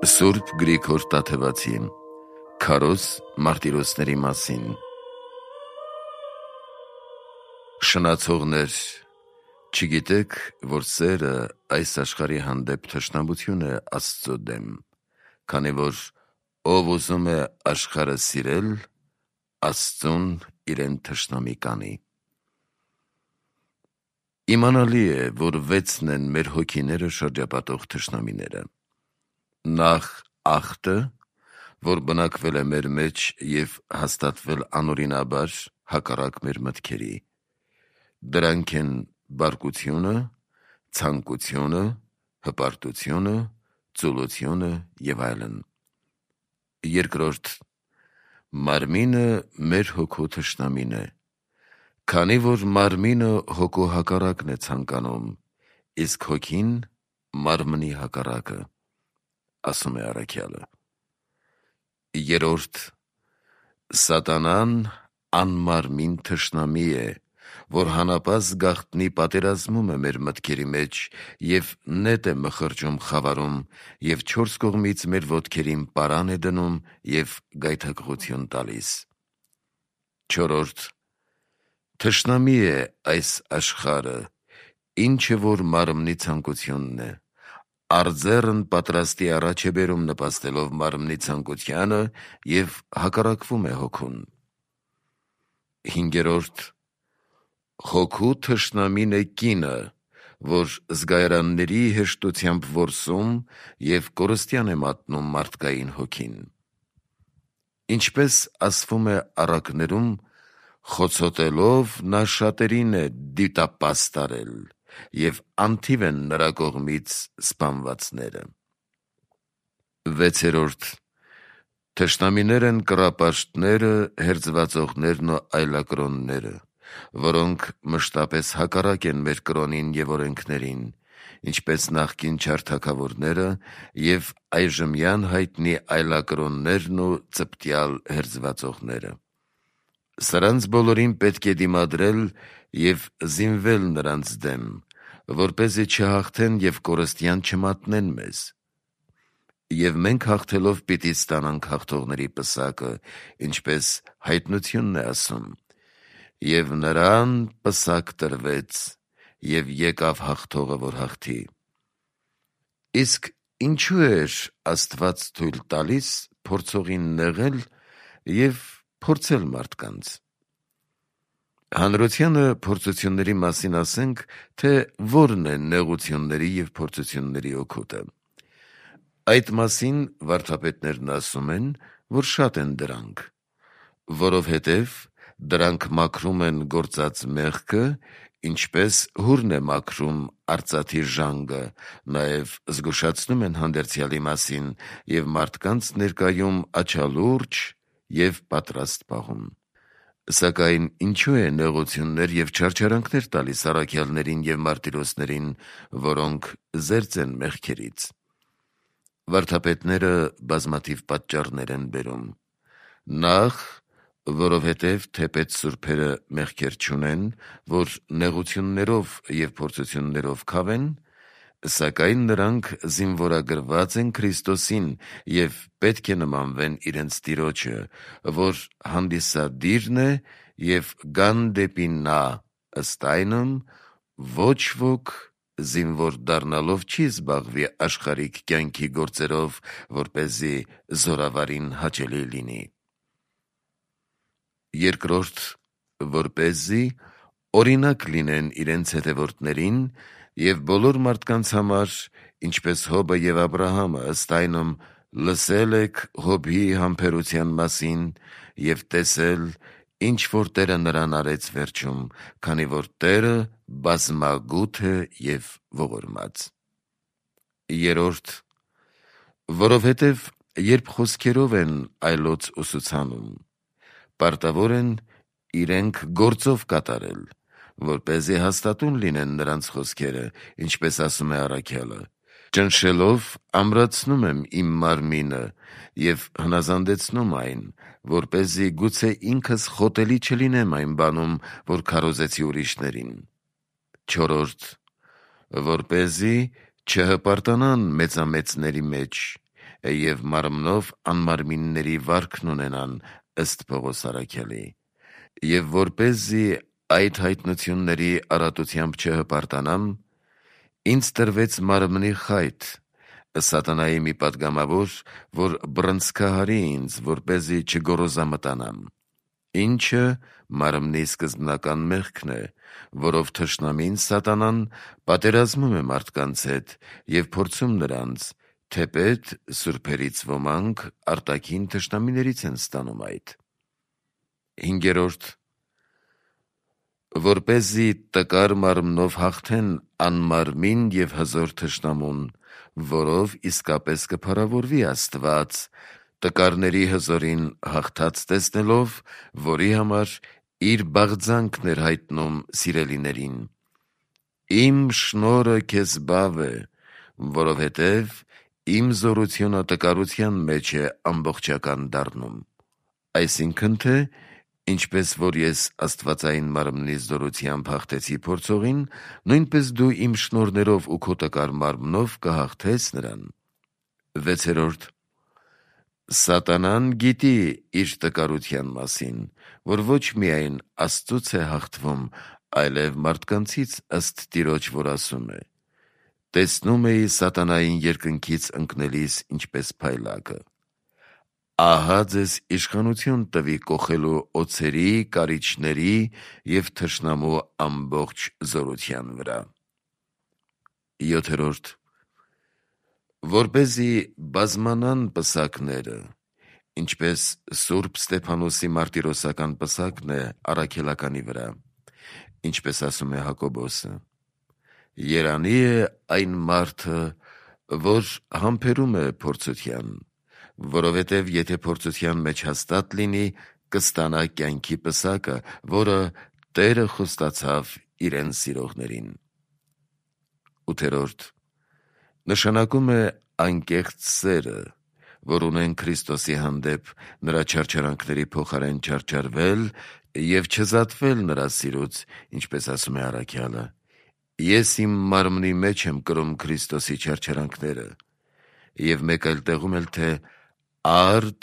Սուրբ Գրիգոր Տաթևացի Քարոզ մարտիրոսների մասին։ Շնացողներ, չգիտեք, որ սերը այս աշխարհի հանդեպ թշնամություն է Աստծո դեմ, քանի որ ով ուզում է աշխարհը սիրել, Աստծուն իրեն թշնամի կանի։ Իմանալի է, որ 6-ն են մեր հոգիները շրջապատող թշնամիները։ Նախ ախտը, որ բնակվել է մեր մեջ և հաստատվել անօրինաբար հակառակ մեր մտքերի։ Դրանք են բարկությունը, ցանկությունը, հպարտությունը, ծուլությունը և այլն։ Երկրորդ, մարմինը մեր հոգու թշնամին է, քանի որ մարմինը հոգու հակառակն է ցանկանում, իսկ հոգին մարմնի հակառակը, ասում է առաքյալը։ Երրորդ, սատանան անմարմին թշնամի է, որ հանապազգ գաղտնի պատերազմում է մեր մտքերի մեջ և նետ է մխրճում խավարում և 4 կողմից մեր ոտքերին պարան է դնում և գայթակղություն տալիս։ Չորրորդ, թշնամի է այս աշխարհը, ինչը որ մարմնի ցանկությունն է, արձեռն պատրաստի առաջ է բերում նպաստելով մարմնի ցանկությանը և հակառակվում է հոգուն։ Հինգերորդ, հոգու թշնամին է կինը, որ զգայարանների հեշտությամբ որսում և կորստյան է մատնում մարդկային հոգին։ Ինչպես ասվում է առակներում, խոցոտելով նա շատերին է դիտապաս տարել և անթիվ են նրա կողմից սպանվածները։ Վեցերորդ, թշնամիներ են կռապաշտները, հերձվածողներն ու այլակրոնները, որոնք մշտապես հակառակ են մեր կրոնին և օրենքներին, ինչպես նախկին չար թագավորները և այժմյան հայտնի այլակրոններն ու ծպտյալ հերձվածողները։ Սրանց բոլորին պետք է դիմադրել և զինվել նրանց դեմ, որպեսզի չհաղթեն և կորստյան չմատնեն մեզ։ Եվ մենք հաղթելով պիտի ստանանք հաղթողների պսակը, ինչպես հայտնությունն է ասում. «Եվ նրան պսակ տրվեց, և եկավ հաղթողը, որ հաղթի»։ Իսկ ինչու էր Աստված թույլ տալիս փորձողին նեղել և փորձել մարդկանց։ Հանրությանը փորձությունների մասին ասենք, թե որն է նեղությունների և փորձությունների օգուտը։ Այդ մասին վարդապետներն ասում են, որ շատ են դրանք, որովհետև դրանք մաքրում են գործած մեղքը, ինչպես հուրն է մաքրում արծաթի ժանգը, նաև զգուշացնում են հանդերձյալի մասին և մարդկանց ներկայում աչալուրջ և պատրաստ պահում։ Սակայն ինչու է նեղություններ և չարչարանքներ տալիս առաքյալներին և մարտիրոսներին, որոնք զերծ են մեղքերից։ Վարդապետները բազմաթիվ պատճառներ են բերում։ Նախ, որովհետև թեպետ սուրբերը մեղքեր չունեն, որ նեղություններով և փորձություններով քավեն, սակայն նրանք զինվորագրված են Քրիստոսին և պետք է նմանվեն իրենց Տիրոջը, որ հանդիսադիրն է և գան դեպի նա, ըստ այնմ, ոչ ոք զինվոր դառնալով չի զբաղվի աշխարհիկ կյանքի գործերով, որպեսզի զորավարին հաճելի լինի։ Երկրորդ, որպեսզի օրինակ լինեն իրենց հետևորդներին և բոլոր մարդկանց համար, ինչպես Հոբը և Աբրահամը, ըստ այնմ, լսել եք Հոբի համբերության մասին և տեսել, ինչ որ Տերը նրան արեց վերջում, քանի որ Տերը բազմագութ է և ողորմած։ Երրորդ, որովհետև երբ խոսքերով են այլոց ուսուցանում, պարտավոր են իրենք գործով կատարել, որպեսզի հաստատուն լինեն նրանց խոսքերը, ինչպես ասում է առաքյալը. «Ճնշելով ամրացնում եմ իմ մարմինը և հնազանդեցնում այն, որպեսզի գուցե ինքս խոտելի չլինեմ այն բանում, որ քարոզեցի ուրիշներին»։ Չորրորդ, որպեսզի չհպարտանան մեծամեծների մեջ, եւ մարմնով անմարմինների վարքն ունենան ըստ Պողոս առաքյալի։ Եվ որպեսզի այդ հայտնությունների արատությամբ չհպարտանամ, ինձ տրվեց մարմնի խայտ, սատանայի մի պատգամավոր, որ բռնցքահարի ինձ, որպեսզի չգոռոզամտանամ, ինչը մարմնի սկզբնական մեղքն է, որով թշնամին սատանան պատերազմում է մարդկանց հետ եւ փորձում նրանց, թեպետ սուրբերից ոմանք արտաքին թշնամիներից են ստանում այդ։ 5. Որպեսզի տկար մարմնով հաղթեն անմարմին եւ հզոր թշնամուն, որով իսկապես կփառավորվի Աստված, տկարների հզորին հաղթած տեսնելով, որի համար իր բաղձանքն էր հայտնում սիրելիներին։ Իմ շնորհը քեզ բավ է, որովհետև իմ զորությունը տկարության մեջ է ամբողջական դառնում։ Այսինքն թե, ինչպես որ ես աստվածային մարմնի զորությամբ հաղթեցի փորձողին, նույնպես դու իմ շնորհներով ու քո տկար մարմնով կհաղթես նրան։ 6. Սատանան գիտի իր տկարության մասին, որ ոչ միայն Աստծուց է հաղթվում, այլև մարդկանցից ըստ Տիրոջ, որ ասում է. տեսնում էի սատանային երկնքից ընկնելիս ինչպես փայլակը։ Ահա ձեզ իշխանություն տվի կոխելու օձերի, կարիճների և թշնամու ամբողջ զորության վրա։ 7. Որպեսզի բազմանան պսակները, ինչպես Սուրբ Ստեփանոսի մարտիրոսական պսակն է առաքելականի վրա, ինչպես ասում է Հակոբոսը. երանի է այն մարդը, որ համբերում է փորձության, որովհետև եթե փորձության մեջ հաստատ լինի, կստանա կյանքի պսակը, որը Տերը խոստացավ իրեն սիրողներին։ 8. Նշանակում է անկեղծ սերը, որ ունեն Քրիստոսի հանդեպ, նրա չարչարանքների փոխարեն չարչարվել և չզատվել նրա սիրուց, ինչպես ասում է առաքյալը. ես իմ մարմնի մեջ եմ կրում Քրիստոսի չարչարանքները, և մեկ այլ տեղում էլ թե արդ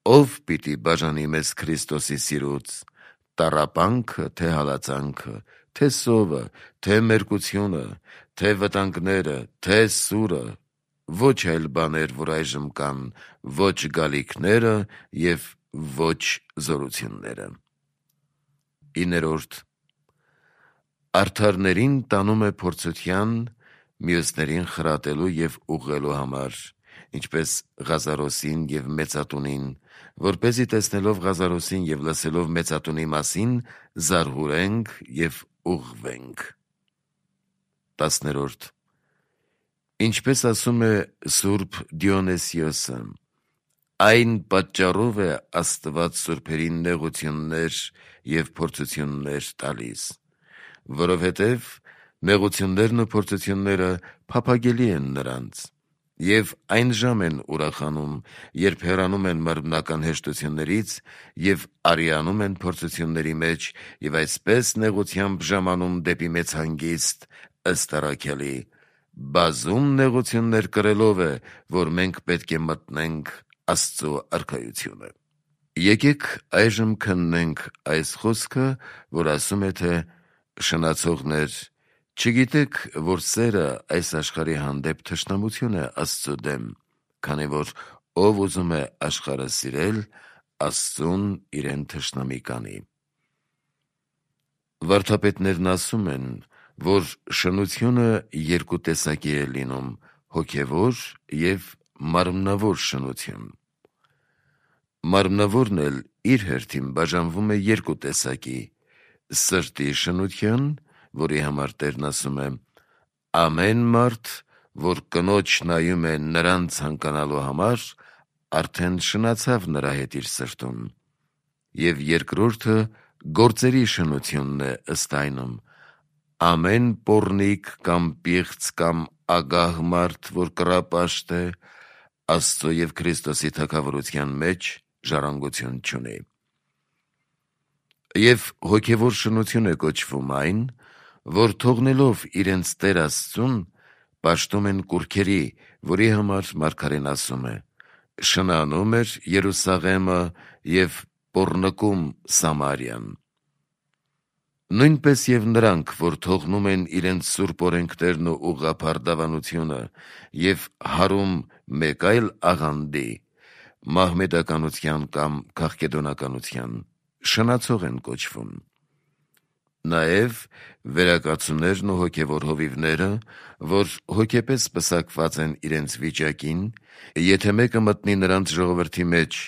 ով պիտի բաժանի մեզ Քրիստոսի սիրուց, տառապանքը, թե հալածանքը, թե սովը, թե մերկությունը, թե վտանգները, թե սուրը, ոչ այլ բաներ, որ այժմ կան, ոչ գալիքները և ոչ զորությունները։ 9. Արդարներին տանում է փորձության, մյուսներին խրատելու և ուղղելու համար, ինչպես Ղազարոսին և Մեծատունին, որպեսզի տեսնելով Ղազարոսին և լսելով Մեծատունի մասին զարհուրենք և ուղղվենք։ 10. Ինչպես ասում է Սուրբ Դիոնեսիոսը, այն պատճառով է Աստված սուրբերին նեղություններ և փորձություններ տալիս, որովհետև նեղություններն ու փորձությունները փափագելի են նրանց, և այն ժամ են ուրախանում, երբ հեռանում են մարմնական հեշտություններից և արիանում են փորձությունների մեջ և այսպես նեղությամբ ժամանում դեպի մեծ հանգիստ, ըստ առաքյալի, բազում նեղություններ կրելով է, որ մենք պետք է մտնենք Աստծու արքայությունը։ Եկեք այժմ քննենք այս խոսքը, որ ասում է, թե շնացողներ, չգիտեք, որ սերը այս աշխարհի հանդեպ թշնամություն է Աստծու դեմ, քանի որ ով ուզում է աշխարհը սիրել, Աստծուն իրեն թշնամի կանի։ Վարդապետներն ասում են, որ շնությունը երկու տեսակի է լինում՝ հոգևոր և մարմնավոր շնություն։ Մարմնավորն էլ իր հերթին բաժանվում է երկու տեսակի՝ սրտի շնության, որի համար Տերն ասում է. ամեն մարդ, որ կնոջ նայում է նրան ցանկանալու համար, արդեն շնացավ նրա հետ իր սրտում, և երկրորդը գործերի շնությունն է ըստ այնում. ամեն պոռնիկ կամ պիղծ կամ ագահ մարդ, որ կռապաշտ է, Աստծո և Քրիստոսի թագավորության մեջ ժառանգություն չունի։ Եվ հոգևոր շնություն է կոչվում այն, որ թողնելով իրենց Տեր Աստծուն, պաշտում են կուռքերի, որի համար մարգարեն ասում է. շնանում էր Երուսաղեմը և պոռնկում Սամարիան։ Նույնպես և նրանք, որ թողնում են իրենց սուրբ օրենքներն ու ուղղափառ դավանությունը և հարում մեկ այլ աղանդի՝ մահմեդականության կամ քաղկեդոնականության, շնացող են կոչվում։ Նաև վերակացուներն ու հոգևոր հովիվները, որ հոգեպես պսակված են իրենց վիճակին, եթե մեկը մտնի նրանց ժողովրդի մեջ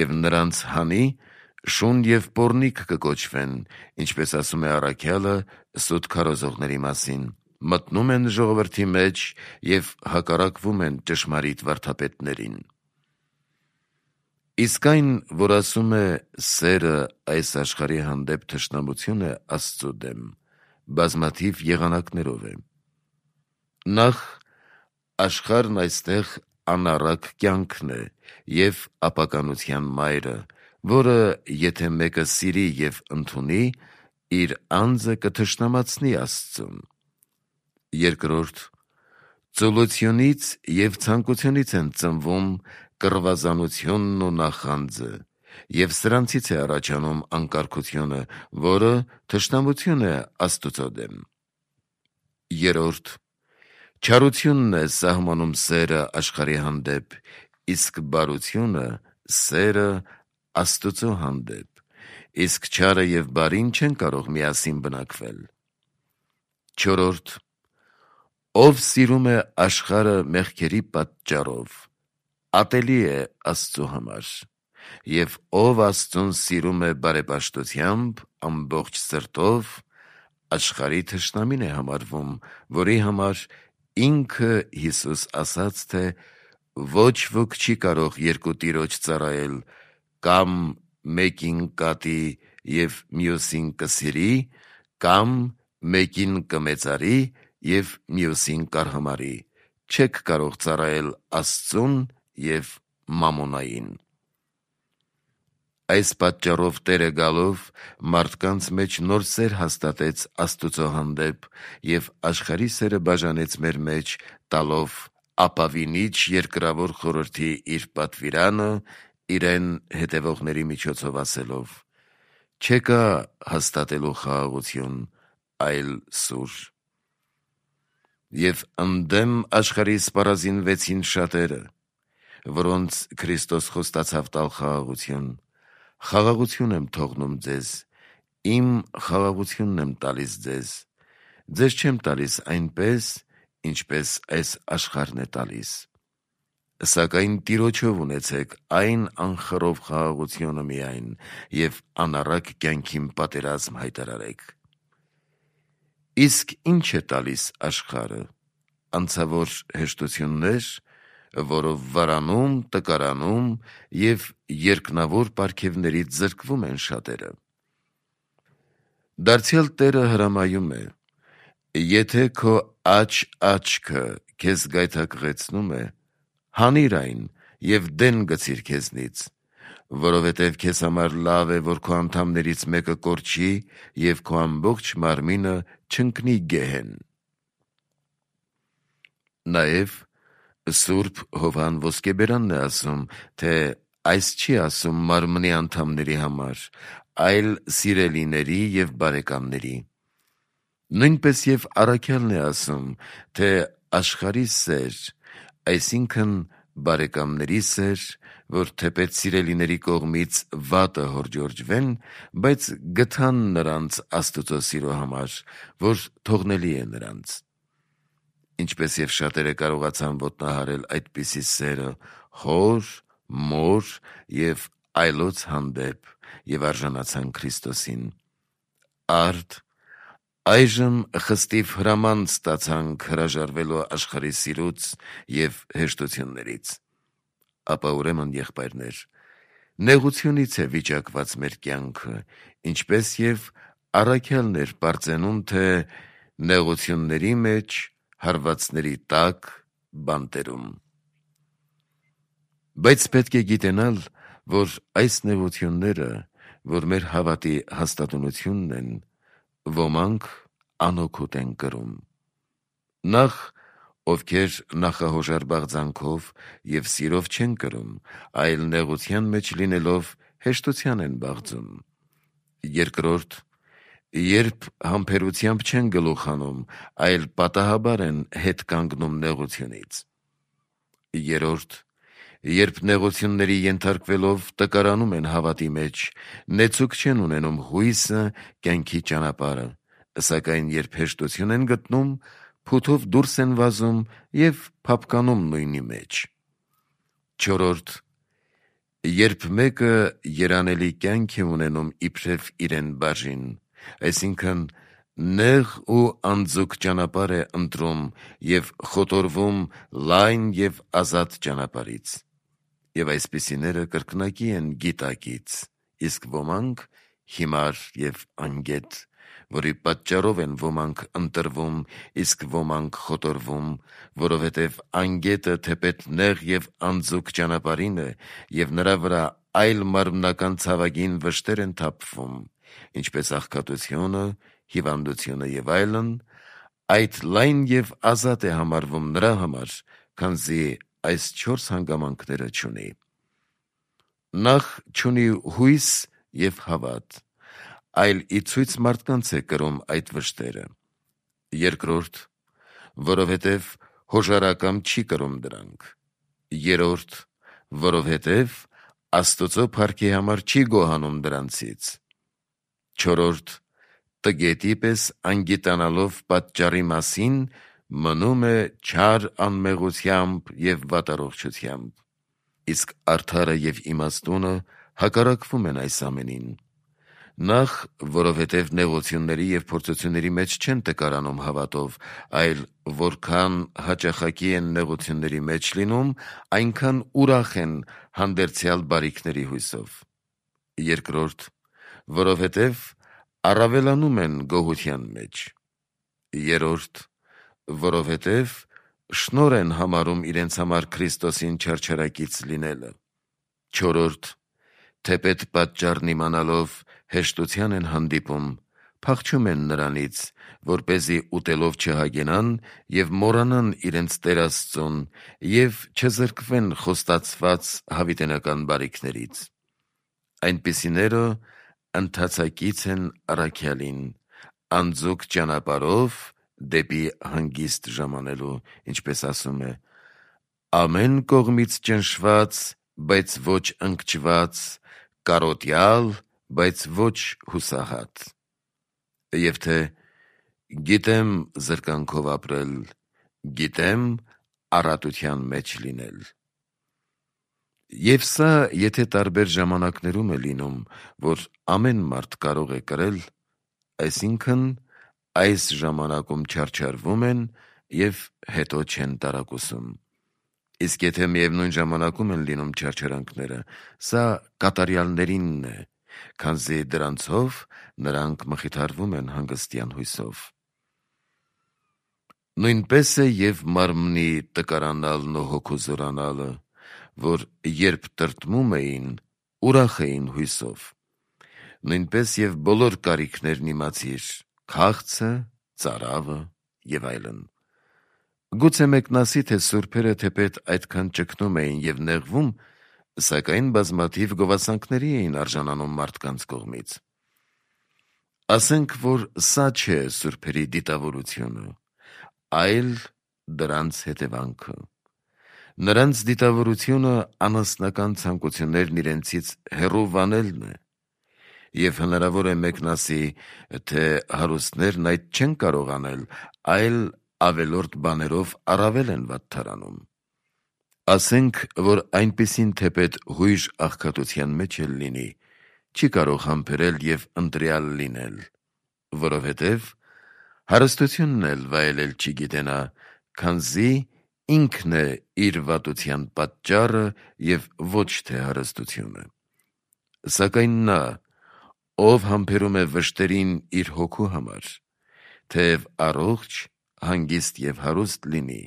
և նրանց հանի, շուն և պոռնիկ կկոչվեն, ինչպես ասում է առաքյալը սուտ քարոզողների մասին, մտնում են ժողովրդի մեջ և հակառակվում են ճշմարիտ վարդապետներին։ Իսկ այն, որ ասում է սերը այս աշխարհի հանդեպ թշնամություն է Աստծու դեմ, բազմաթիվ եղանակներով է։ Նախ, աշխարհն այստեղ անառակ կյանքն է և ապականության մայրը, որը եթե մեկը սիրի և ընդունի, իր անձը կթշնամացնի Աստծուն։ Երկրորդ, ծուլությունից և ցանկությունից են ծնվում կռվազանությունն ու նախանձը, և սրանցից է առաջանում անկարգությունը, որը թշնամություն է Աստուծո դեմ։ Երրորդ, չարությունն է սահմանում սերը աշխարհի հանդեպ, իսկ բարությունը սերը Աստուծո հանդեպ, իսկ չարը և բարին չեն կարող միասին բնակվել։ Չորրորդ, ով սիրում է աշխարհը մեղքերի պատճառով, ատելի է Աստծու համար, և ով Աստծուն սիրում է բարեպաշտությամբ, ամբողջ սրտով, աշխարհի թշնամին է համարվում, որի համար ինքը Հիսուս ասաց, թե ոչ ոք չի կարող երկու տիրոջ ծառայել, կամ մեկին կատի և մյուսին կսիրի, կամ մեկին կմեծարի և մյուսին կարհամարի, չեք կարող ծառայել Աստծուն և Մամոնային։ Այս պատճառով Տերը գալով մարդկանց մեջ նոր սեր հաստատեց Աստուծո հանդեպ և աշխարհի սերը բաժանեց մեր մեջ, տալով ապավինիչ երկրավոր խորհրդի իր պատվիրանը իրեն հետևողների միջոցով ասելով. «Չեկա հաստատելու խաղաղություն, այլ սուր»։ Եվ ընդդեմ աշխարհի սպառազինվեցին շատերը, որոնց Քրիստոս խոստացավ տալ խաղաղություն։ Խաղաղություն եմ թողնում ձեզ, իմ խաղաղությունն եմ տալիս ձեզ. ձեզ չեմ տալիս այնպես, ինչպես այս աշխարհն է տալիս։ Սակայն Տիրոջով ունեցեք այն անխռով խաղաղությունը միայն և անառակ կյանքին պատերազմ հայտարարեք։ Իսկ ի՞նչ է տալիս աշխարհը։ Անցավոր հեշտություններ, որով վարանում, տկարանում և երկնավոր պարգևներից զրկվում են շատերը։ Դարձյալ Տերը հրամայում է. «Եթե քո աջ-աչքը քեզ գայթակղեցնում է, հանիր այն և դեն գցիր քեզնից, որովհետև քեզ համար լավ է, որ քո անդամներից մեկը կորչի և քո ամբողջ մարմինը չընկնի գեհեն»։ Նաև Սուրբ Հովհան Ոսկեբերանն է ասում, թե այս չի ասում մարմնի անդամների համար, այլ սիրելիների և բարեկամների։ Նույնպես և առաքյալն է ասում, թե աշխարհի սեր, այսինքն բարեկամների սեր, որ թեպետ սիրելիների կողմից վատը հորդորջվեն, բայց գթան նրանց Աստուծո սիրո համար, որ թողնելի է նրանց։ Ինչպես և շատերը կարողացան ոտնահարել այդպիսի սերը հոր, մոր և այլոց հանդեպ և արժանացան Քրիստոսին։ Արդ այժմ խստիվ հրաման ստացանք հրաժարվելու աշխարհի սիրուց և հեշտություններից։ Ապա ուրեմն, եղբայրներ, նեղությունից է վիճակված մեր կյանքը, ինչպես և առաքյալն էր պարծենում, թե նեղությունների մեջ, հարվածների տակ, բանտերում։ Բայց պետք է գիտենալ, որ այս նեղությունները, որ մեր հավատի հաստատունությունն են, ոմանք անօգուտ են կրում։ Նախ, ովքեր նախահոժար բաղձանքով և սիրով չեն կրում, այլ նեղության մեջ լինելով հեշտության են բաղձում։ Երկրորդ, երբ համբերությամբ չեն գլուխ հանում, այլ պատահաբար են հետ կանգնում նեղությունից։ Երրորդ, երբ նեղությունների ենթարկվելով տկարանում են հավատի մեջ, նեցուկ չեն ունենում հույսը, կյանքի ճանապարհը, սակայն երբ հեշտություն են գտնում, փութով դուրս են վազում և փափկանում նույնի մեջ։ Չորրորդ, երբ մեկը երանելի կյանք է ունենում իբրև իրեն բաժին, այսինքն նեղ ու անձուկ ճանապարհ է ընտրում և խոտորվում լայն և ազատ ճանապարհից, և այսպիսիները կրկնակի են գիտակից, իսկ ոմանք հիմար և անգետ, որի պատճառով են ոմանք ընտրվում, իսկ ոմանք խոտորվում, որովհետև անգետը թեպետ նեղ և անձուկ ճանապարհին է, և նրա վրա այլ մարմնական ցավագին վշտեր են թափվում, ինչպես աղքատությունը, հիվանդությունը և այլն, այդ լայն և ազատ է համարվում նրա համար, քանզի այս 4 հանգամանքները չունի։ Նախ չունի հույս և հավատ, այլ ի ցույց մարդկանց է կրում այդ վշտերը։ Երկրորդ, որովհետև հոժարակամ չի կրում դրանք։ Երրորդ, որովհետև Աստծո փառքի համար չի գոհանում դրանցից։ Չորրորդ, տգետի պես անգիտանալով պատճառի մասին, մնում է չար անմեղությամբ և վատառողջությամբ։ Իսկ արդարը և իմաստունը հակառակվում են այս ամենին։ Նախ, որովհետև նեղությունների և փորձությունների մեջ չեն տկարանում հավատով, այլ որքան հաճախակի են նեղությունների մեջ լինում, այնքան ուրախ են հանդերձյալ բարիքների հույսով։ Երկրորդ, որովհետև առավելանում են գոհության մեջ։ Երրորդ, որովհետև շնորհ են համարում իրենց համար Քրիստոսին չարչարակից լինելը։ Չորրորդ, թեպետ պատճառն իմանալով հեշտության են հանդիպում, փախչում են նրանից, որպեսզի ուտելով չհագենան և մոռանան իրենց Տեր Աստծուն և չզրկվեն խոստացված հավիտենական բարիքներից։ Այնպիսիները ընթացակից են առաքյալին, անձուկ ճանապարհով դեպի հանգիստ ժամանելու, ինչպես ասում է. ամեն կողմից ճնշված, բայց ոչ ընկճված, կարոտյալ, բայց ոչ հուսահատ։ Եվ թե գիտեմ զրկանքով ապրել, գիտեմ առատության մեջ լինել։ Եվ սա եթե տարբեր ժամանակներում է լինում, որ ամեն մարդ կարող է կրել, այսինքն այս ժամանակում չարչարվում են և հետո չեն տարակուսում։ Իսկ եթե միևնույն ժամանակում են լինում չարչարանքները, սա կատարյալներինն է, քանզի դրանցով նրանք մխիթարվում են հանգստյան հույսով։ Նույնպես է և մարմնի տկարանալն ու հոգու զորանալը, որ երբ տրտմում էին, ուրախ էին հույսով։ Նույնպես և բոլոր կարիքներն իմացիր, քաղցը, ծարավը և այլն։ Գուցե մեկն ասի, թե սուրբերը թեպետ այդքան ճգնում էին և նեղվում, սակայն բազմաթիվ գովասանքների էին արժանանում մարդկանց կողմից։ Ասենք, որ սա չէ սուրբերի դիտավորությունը, այլ դրանց հետևանքը։ Նրանց դիտավորությունը անասնական ցանկություններն իրենցից հեռու վանելն է։ Եվ հնարավոր է մեկն ասի, թե հարուստներն այդ չեն կարող անել, այլ ավելորդ բաներով առավել են վատթարանում։ Ասենք, որ այնպիսին թեպետ հույժ աղքատության մեջ էլ լինի, չի կարող համբերել և ընտրյալ լինել, որովհետև հարստությունն էլ վայելել չի գիտենա, քանզի ինքն է իր վատության պատճառը և ոչ թե հարստությունը։ Սակայն նա, ով համբերում է վշտերին իր հոգու համար, թեև առողջ, հանգիստ և հարուստ լինի,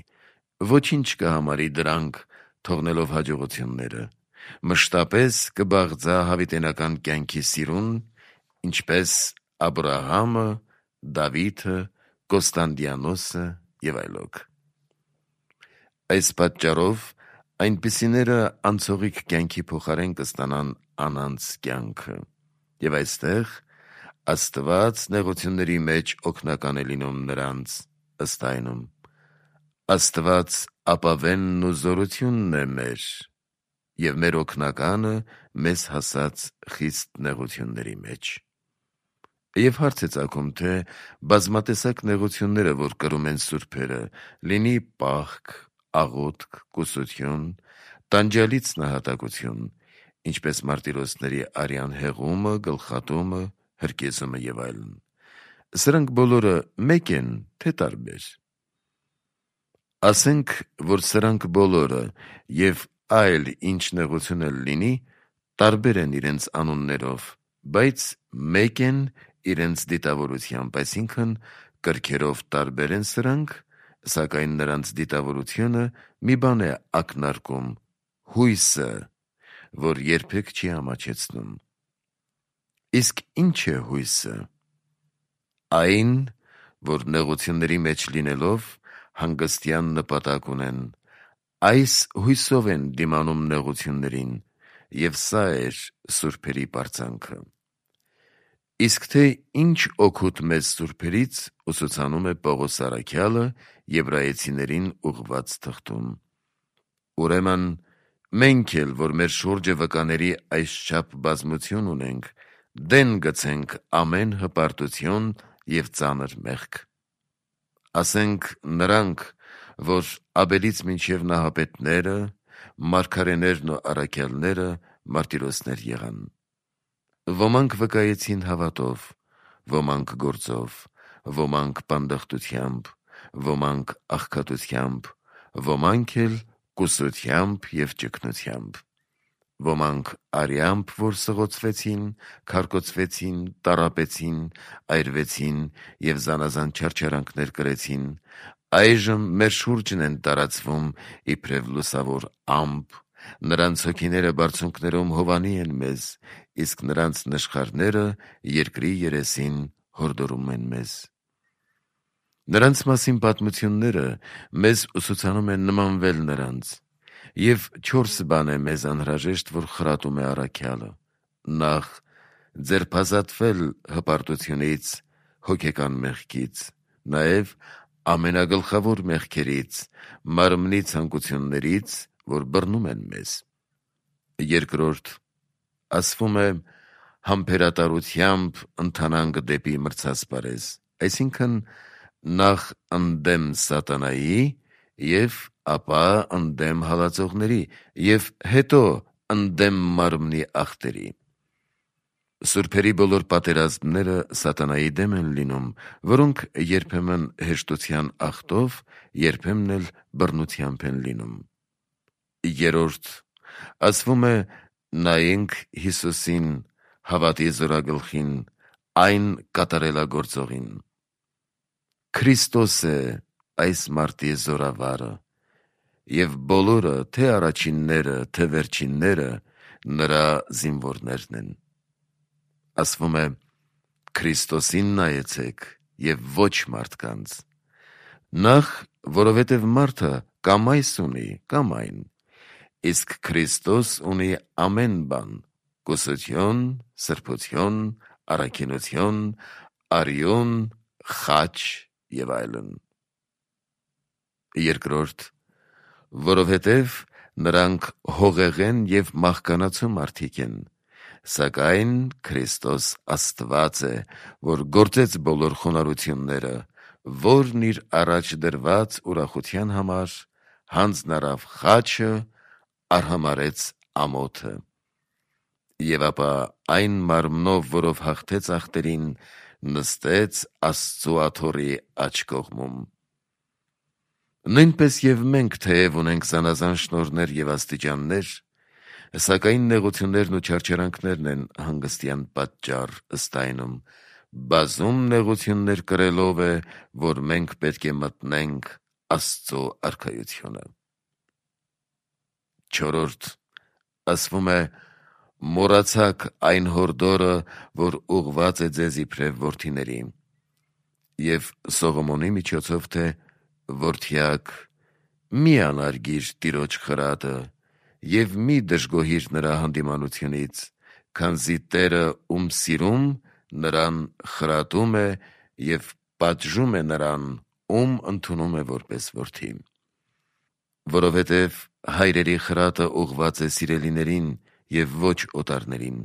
ոչինչ կհամարի դրանք, թողնելով հաջողությունները, մշտապես կբաղձա հավիտենական կյանքի սիրուն, ինչպես Աբրահամը, Դավիթը, Կոստանդիանոսը և այլոք։ Այս պատճառով այնպիսիները անցողիկ կյանքի փոխարեն կստանան անանց կյանքը, եւ այստեղ Աստված նեղությունների մեջ օգնական է լինում նրանց, ըստ այնում. Աստված ապավենն ու զորությունն է մեր, եւ մեր օգնականը մեզ հասած խիստ նեղությունների մեջ։ Եվ հարց է ծագում, թե բազմատեսակ նեղությունները, որ կրում են սուրբերը, լինի պահք, աղոթք, կուսություն, տանջալից նահատակություն, ինչպես մարտիրոսների արյան հեղումը, գլխատումը, հրկեզումը եւ այլն, սրանք բոլորը մեկ են, թե տարբեր։ Ասենք, որ սրանք բոլորը եւ այլ ինչ նեղություն էլ լինի, տարբեր են իրենց անուններով, բայց մեկ են իրենց դիտավորությամբ, այսինքն կրքերով տարբեր են սրանք, սակայն նրանց դիտավորությունը մի բան է ակնարկում՝ հույսը, որ երբեք չի ամաչեցնում։ Իսկ ինչ է հույսը։ Այն, որ նեղությունների մեջ լինելով հանգստյան նպատակ ունեն, այս հույսով են դիմանում նեղություններին, եւ սա էր սուրբերի պարծանքը։ Իսկ թե ինչ օգուտ մեզ սուրբերից, ուսուցանում է Պողոս առաքյալը Եբրայեցիներին ուղղված թղթում։ Ուրեմն մենք էլ, որ մեր շուրջը վկաների այսչափ բազմություն ունենք, դեն գցենք ամեն հպարտություն եւ ծանր մեղք։ Ասենք նրանք, որ Աբելից մինչև նահապետները, մարգարեներն ու առաքյալները մարտիրոսներ եղան։ Ոմանք վկայեցին հավատով, ոմանք գործով, ոմանք պանդխտությամբ, ոմանք աղքատությամբ, ոմանք էլ կուսությամբ եւ ճգնությամբ, ոմանք արյամբ, որ սղոցվեցին, քարկոծվեցին, տառապեցին, այրվեցին եւ զանազան չարչարանքներ կրեցին, այժմ մեր շուրջն են տարածվում իբրև լուսավոր ամպ, նրանց հոգիները բարձունքներում հովանի են մեզ, իսկ նրանց նշխարները երկրի երեսին հորդորում են մեզ։ Նրանց մասին պատմությունները մեզ ուսուցանում են նմանվել նրանց, եւ 4 բան է մեզ անհրաժեշտ, որ խրատում է առաքյալը. նախ ձերբազատվել հպարտությունից, հոգեկան մեղքից, նաեւ ամենագլխավոր մեղքերից, մարմնի ցանկություններից, որ բռնում են մեզ։ Երկրորդ, ասվում է համբերատարությամբ ընթանանք դեպի մրցասպարեզ, այսինքն նախ ընդդեմ սատանայի եւ ապա ընդդեմ հալածողների եւ հետո ընդդեմ մարմնի ախտերի։ Սուրբերի բոլոր պատերազմները սատանայի դեմ են լինում, որոնք երբեմն հեշտության ախտով, երբեմն էլ բռնությամբ են լինում։ Երրորդ, ասվում է նայենք Հիսուսին, հավատի զորագլխին, այն կատարելագործողին։ Քրիստոս է այս մարտի զորավարը, եւ բոլորը, թե առաջինները, թե վերջինները, նրա զինվորներն են։ Ասվում է Քրիստոսին նայեցեք եւ ոչ մարդկանց։ Նախ, որովհետեւ մարդը կամ այս ունի, կամ այն, իսկ Քրիստոս ունի ամեն բան՝ կուսություն, սրբություն, առաքինություն, արյուն, խաչ եւ այլն։ Երկրորդ, որովհետեւ նրանք հողեղեն եւ մահկանացու մարդիկ են, սակայն Քրիստոս Աստված է, որ գործեց բոլոր խոնարհությունները, որն իր առաջ դրված ուրախության համար հանձնարավ խաչը, արհամարեց ամոթը։ Եվ ապա այն մարմնով, որով հաղթեց ախտերին, նստեց Աստծու աթոռի աջ կողմում։ Նույնպես եւ մենք թեև ունենք զանազան շնորհներ եւ աստիճաններ, սակայն նեղություններն ու չարչարանքներն են հանգստյան պատճառ, ըստ այնում, բազում նեղություններ կրելով է, որ մենք պետք է մտնենք Աստծու արքայությունը։ Չորրորդ, ասվում է մոռացաք այն հորդորը, որ ուղված է ձեզ իբրև որդիների, եւ Սողոմոնի միջոցով թե որդյակ մի անարգիր Տիրոջ խրատը եւ մի դժգոհիր նրա հանդիմանությունից, քանզի Տերը ում սիրում նրան խրատում է եւ պատժում է նրան, ում ընդունում է որպես որդի։ Որովհետև հայրերի խրատը ուղղված է սիրելիներին եւ ոչ օտարներին։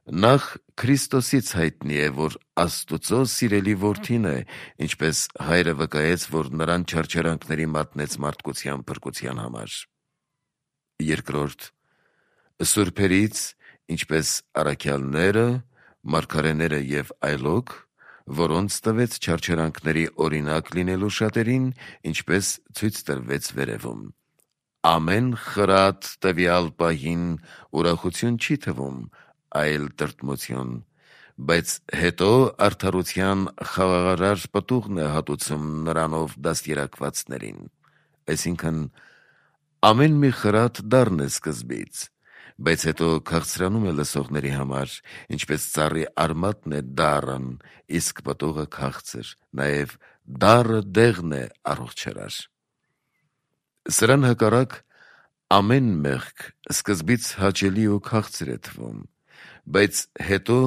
Նախ Քրիստոսից հայտնի է, որ Աստուծո սիրելի որդին է, ինչպես հայրը վկայեց, որ նրան չարչարանքների մատնեց մարդկության փրկության համար։ Երկրորդ, սուրբերից, ինչպես առաքյալները, մարգարեները եւ այլոք, որոնց տվեց չարչարանքների օրինակ լինելու շատերին, ինչպես ցույց տրվեց վերևում։ Ամեն խրատ տվյալ պահին ուրախություն չի թվում, այլ տրտմություն, բայց հետո արդարության խաղաղարար պտուղն է հատուցում նրանով դաստիարակվածներին։ Այսինքն, ամեն մի խրատ դառն է սկզբից, բայց հետո քաղցրանում է լսողների համար, ինչպես ծառի արմատն է դառն, իսկ պտուղը քաղցր, նաև դառը դեղն է առողջարար։ Սրան հակառակ, ամեն մեղք սկզբից հաճելի ու քաղցր է թվում, բայց հետո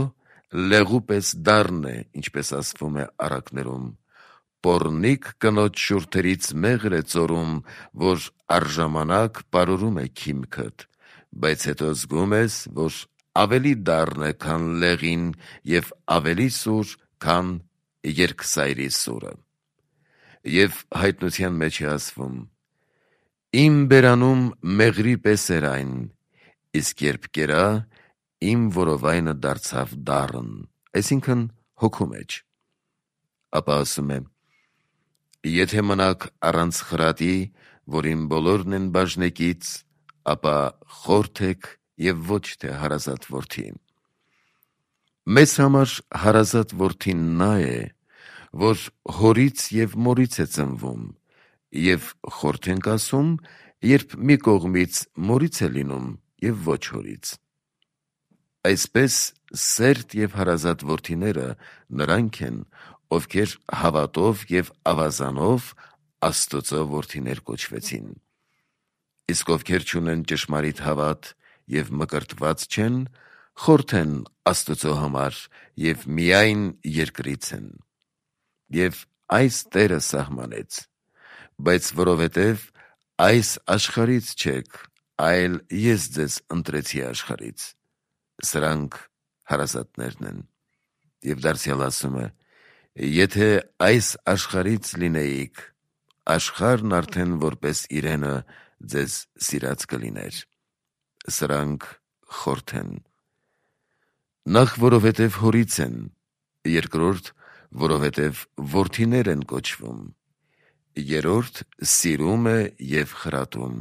լեղու պես դառն է, ինչպես ասվում է առակներում, պոռնիկ կնոջ շուրթերից մեղր է ծորում, որ առժամանակ պարուրում է քիմքդ, բայց հետո զգում ես, որ ավելի դառն է, քան լեղին եւ ավելի սուր, քան երկսայրի սուրը։ Եվ հայտնության մեջ է ասվում. իմ բերանում մեղրի պես էր այն, իսկ երբ կերա, իմ որովայնը դարձավ դառն, այսինքն հոգու մեջ։ Ապա ասում է. եթե մնաք առանց խրատի, որին բոլորն են բաժնեկից, ապա խորթ եք եւ ոչ թե հարազատ որդի։ Մեզ համար հարազատ որդին նա է, որ հորից եւ մորից է ծնվում, եւ խորթ ենք ասում, երբ մի կողմից մորից է լինում եւ ոչ հորից։ Այսպես սերտ եւ հարազատ որդիները նրանք են, ովքեր հավատով եւ ավազանով Աստծո որդիներ կոչվեցին։ Իսկ ովքեր չունեն ճշմարիտ հավատ եւ մկրտված չեն, խորթ են Աստծո համար եւ միայն երկրից են։ Եվ այս Տերը սահմանեց, բայց որովհետև այս աշխարհից չեք, այլ ես ձեզ ընտրեցի աշխարհից, սրանք հարազատներն են։ Եվ դարձյալ ասում է. եթե այս աշխարհից լինեիք, աշխարհն արդեն որպես իրենը ձեզ սիրած կլիներ, սրանք խորթ են։ Նախ որովհետև հորից են, երկրորդ որովհետև որդիներ են կոչվում, երրորդ սիրում է եւ խրատում,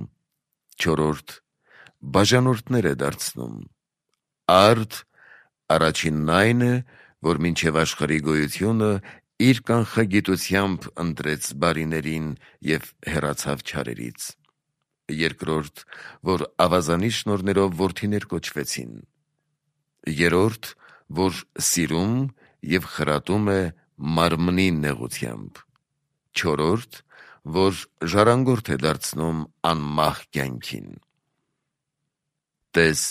չորրորդ բաժանորդներ է դարձնում, արդ առաջինն այն է, որ մինչև աշխարհի գոյությունը իր կանխագիտությամբ ընտրեց բարիներին եւ հեռացավ չարերից, երկրորդ, որ ավազանի շնորհներով որդիներ կոչվեցին, երրորդ, որ սիրում եւ խրատում է մարմնի նեղությամբ, չորրորդ, որ ժառանգորդ է դարձնում անմահ կյանքին։ Տես,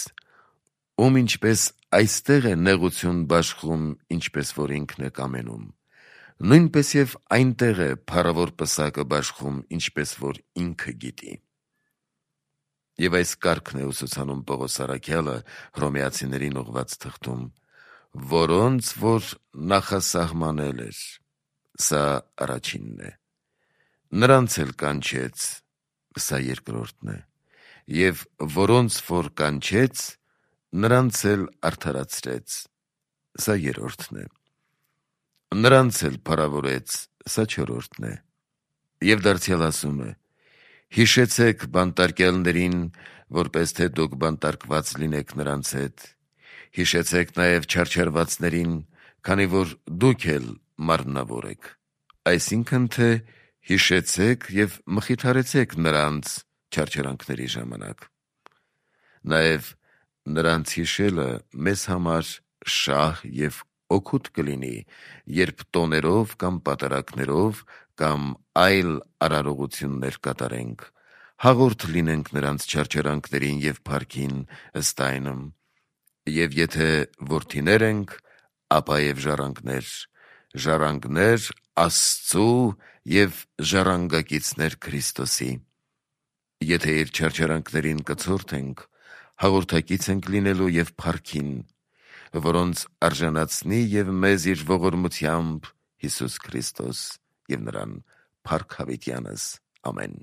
ում ինչպես այստեղ է նեղություն բաշխում, ինչպես որ ինքն է կամենում, նույնպես եւ այնտեղ է փառավոր պսակը բաշխում, ինչպես որ ինքը գիտի։ Եվ այս կարգն է ուսուցանում Պողոս առաքյալը Հռոմեացիներին ուղված թղթում, որոնց որ նախասահմանել էր, սա առաջինն է, նրանց էլ կանչեց, սա երկրորդն է, եւ որոնց որ կանչեց, նրանց էլ արդարացրեց, սա երրորդն է, նրանց էլ փառավորեց, սա չորրորդն է։ Եվ դարձյալ ասում է. հիշեցեք բանտարկյալներին, որպես թե դուք բանտարկված լինեք նրանց հետ, հիշեցեք նաև չարչարվածներին, քանի որ դուք էլ մարմնավոր եք, այսինքն թե հիշեցեք եւ մխիթարեցեք նրանց չարչարանքների ժամանակ։ Նաև նրանց հիշելը մեզ համար շահ եւ օգուտ կլինի, երբ տոներով կամ պատարակներով կամ այլ արարողություններ կատարենք, հաղորդ լինենք նրանց չարչարանքներին և փառքին ըստ այնմ, և եթե որդիներ ենք, ապա և ժառանգներ Աստծու և ժառանգակիցներ Քրիստոսի։ Եթե իր չարչարանքներին կցորդ ենք, հաղորդակից ենք լինելու և փառքին, որոնց արժանացնի և մեզ իր ողորմությամբ Հիսուս Քրիստոս, և նրան փառք հավիտյանս։ Ամեն։